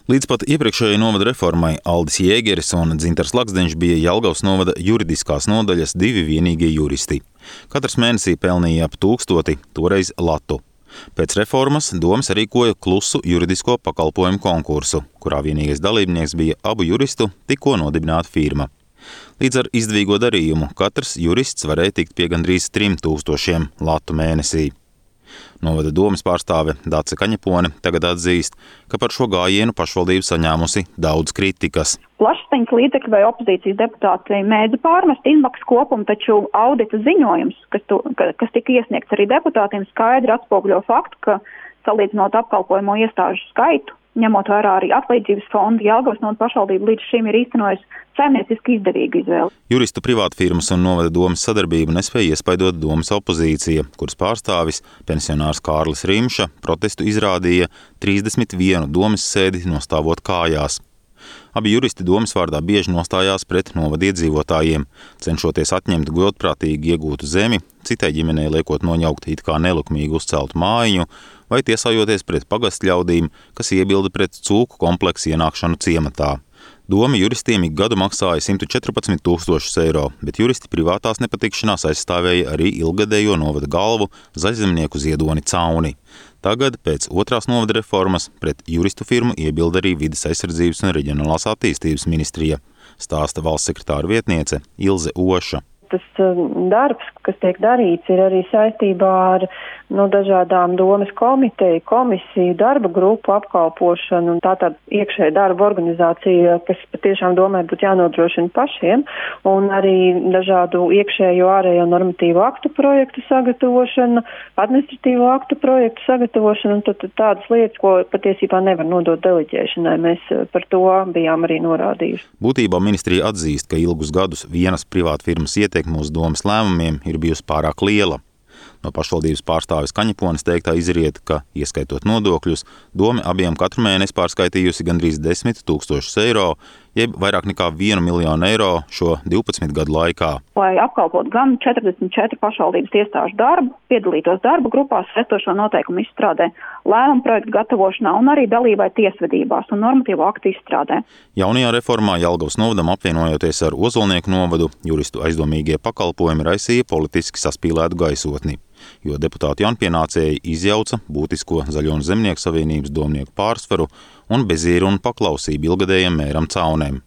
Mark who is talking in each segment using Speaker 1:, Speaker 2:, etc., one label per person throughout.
Speaker 1: Līdz pat iepriekšējai novada reformai Aldis Jēgeris un Dzintars Laksdeņš bija Jelgavas novada juridiskās nodaļas divi vienīgie juristi. Katrs mēnesī pelnīja ap 1000, toreiz latu. Pēc reformas doma sarīkoja klusu juridisko pakalpojumu konkursu, kurā vienīgais dalībnieks bija abu juristu tikko nodibināta firma. Līdz ar izdevīgo darījumu katrs jurists varēja tikt pie gandrīz 3000 latu mēnesī. Novada domes pārstāve Dace Kaņepone tagad atzīst, ka par šo gājienu pašvaldība saņēmusi daudz kritikas.
Speaker 2: Plašsaziņas līdzekļi vai opozīcijas deputāti mēdza pārmest inbox kopumu, taču audita ziņojums, kas tika iesniegts arī deputātiem, skaidri atspoguļo faktu, ka salīdzinot apkalpojamo iestāžu skaitu, ņemot vērā arī atlīdzības fondu, Jelgavas novada pašvaldība līdz šim ir īstenojusi saimnieciski izdevīgu izvēli.
Speaker 1: Juristu privātfirmas un novada domes sadarbību nespēja iespaidot domes opozīcija, kuras pārstāvis, pensionārs Kārlis Rimša, protestu izrādīja 31 domes sēdi nostāvot kājās. Abi juristi domes vārdā bieži nostājās pret novada iedzīvotājiem, cenšoties atņemt godprātīgi iegūtu zemi, citai ģimenei liekot noņaukt it kā nelikumīgi uzceltu mājiņu, vai tiesājoties pret pagastļaudīm, kas iebilda pret cūku kompleksu ienākšanu ciematā. Doma juristiem ik gadu maksāja 114 000 eiro, bet juristi privātās nepatikšanās aizstāvēja arī ilgadējo novada galvu zaļzemnieku Ziedoni Cauni. Tagad, pēc otrās novada reformas, pret juristu firmu iebilda arī Vides aizsardzības un reģionālās attīstības ministrija, stāsta valsts sekretāra vietniece Ilze Oša.
Speaker 3: Tas darbs, kas tiek darīts, ir arī saistībā ar dažādām domes komiteju, komisiju, darba grupu apkalpošanu un tātad iekšēja darba organizācija, kas patiešām domē būtu jānodrošina pašiem, un arī dažādu iekšējo ārējo normatīvu aktu projektu sagatavošana, administratīvo aktu projektu sagatavošana un tad tādas lietas, ko patiesībā nevar nodot deleģēšanai. Mēs par to bijām arī norādījuši.
Speaker 1: Būtībā ministrija atzīst, ka ilgus gadus vienas privātfirmas ietekme uz domes lēmumiem ir bijusi pārāk liela. No pašvaldības pārstāves Kaņepones teiktā izriet, ka, ieskaitot nodokļus, dome abiem katru mēnesi pārskaitījusi gandrīz 10 000 eiro, jeb vairāk nekā 1 miljonu eiro šo 12 gadu laikā.
Speaker 2: Lai apkalpot gan 44 pašvaldības iestāžu darbu, piedalītos darba grupās, esošo noteikumu izstrādē, lēmumu projektu gatavošanā un arī dalībai tiesvedībās un normatīvo aktu izstrādē.
Speaker 1: Jaunajā reformā Jelgavas novadam apvienojoties ar Ozolnieku novadu, juristu aizdomīgie pakalpojumi raisīja politiski saspīlētu gaisotni, jo deputāti jaunpienācēji izjauca būtisko Zaļo un Zemnieku savienības domnieku pārsvaru un bezieru un paklausību ilgadējiem mēram Caunēm.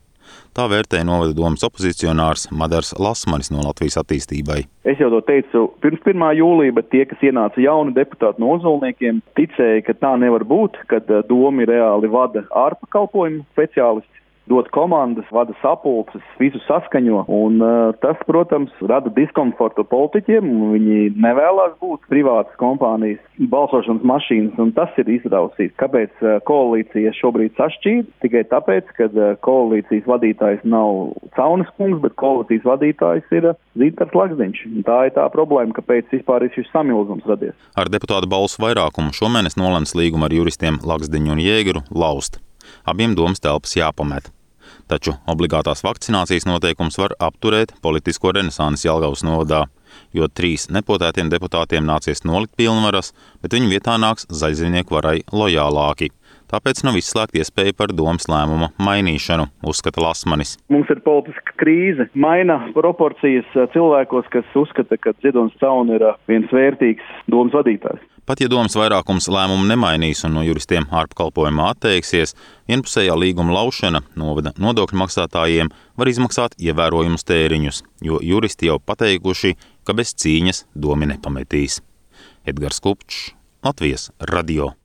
Speaker 1: Tā vērtēja novada domes opozicionārs Madars Lasmanis no Latvijas attīstībai.
Speaker 4: Es jau to teicu pirms 1. jūlija, bet tie, kas ienāca jauni deputāti no Ozolniekiem, ticēja, ka tā nevar būt, kad domi reāli vada ārpakalpojumu speciālisti, dod komandas, vada sapulces, visu saskaņo, un tas, protams, rada diskomfortu politiķiem, un viņi nevēlās būt privātas kompānijas balsošanas mašīnas, un tas ir izrausīts. Kāpēc koalīcija šobrīd sašķīd? Tikai tāpēc, ka koalīcijas vadītājs nav Caunes kungs, bet koalīcijas vadītājs ir Dzintars Laksdeņš. Tā ir tā problēma, kāpēc vispār ir šis samilzums radies.
Speaker 1: Ar deputātu balsu vairākumu šomēnes nolemts līgumu ar juristiem Laksdeņu un Jēgeru laust. Abiem domas telpas jāpamet. Taču obligātās vakcinācijas noteikums var apturēt politisko renesansi Jelgavas novadā, jo 3 nepotētiem deputātiem nācies nolikt pilnvaras, bet viņu vietā nāks zaļzemnieku varai lojālāki. Tāpēc nav izslēgta iespēja par domes lēmuma mainīšanu, uzskata Lasmanis.
Speaker 4: Mums ir politiska krīze, maina proporcijas cilvēkos, kas uzskata, ka Ziedons Cauni ir viens vērtīgs domes vadītājs.
Speaker 1: Pat ja domes vairākums lēmumu nemainīs un no juristiem ārpakalpojumā atteiksies, vienpusējā līguma laušana novada nodokļu maksātājiem var izmaksāt ievērojumus tēriņus, jo juristi jau pateikuši, ka bez cīņas domi nepametīs. Edgars Kupčs, Latvijas radio.